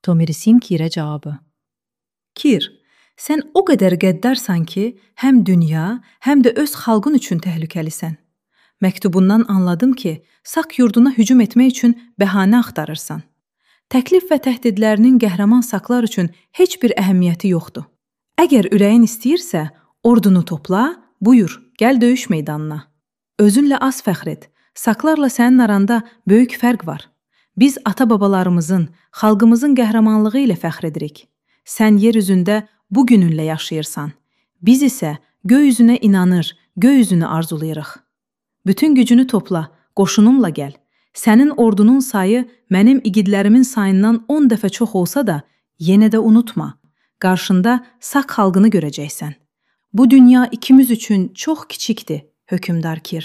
Tomirisin Kirə cavabı. Kir, sən o qədər qəddarsan ki, həm dünya, həm də öz xalqın üçün təhlükəlisən. Məktubundan anladım ki, Sak yurduna hücum etmək üçün bəhanə axtarırsan. Təklif və təhdidlərinin qəhrəman Saklar üçün heç bir əhəmiyyəti yoxdur. Əgər ürəyin istəyirsə, ordunu topla, buyur, gəl döyüş meydanına. Özünlə az fəxr et, Saklarla sənin aranda böyük fərq var. Biz ata-babalarımızın, xalqımızın qəhrəmanlığı ilə fəxr edirik. Sən yer üzündə bu gününlə yaşayırsan. Biz isə göy üzünə inanır, göy üzünü arzulayırıq. Bütün gücünü topla, qoşunumla gəl. Sənin ordunun sayı mənim igidlərimin sayından 10 dəfə çox olsa da, yenə də unutma, qarşında Sak xalqını görəcəksən. Bu dünya ikimiz üçün çox kiçikdir, hökümdar Kir.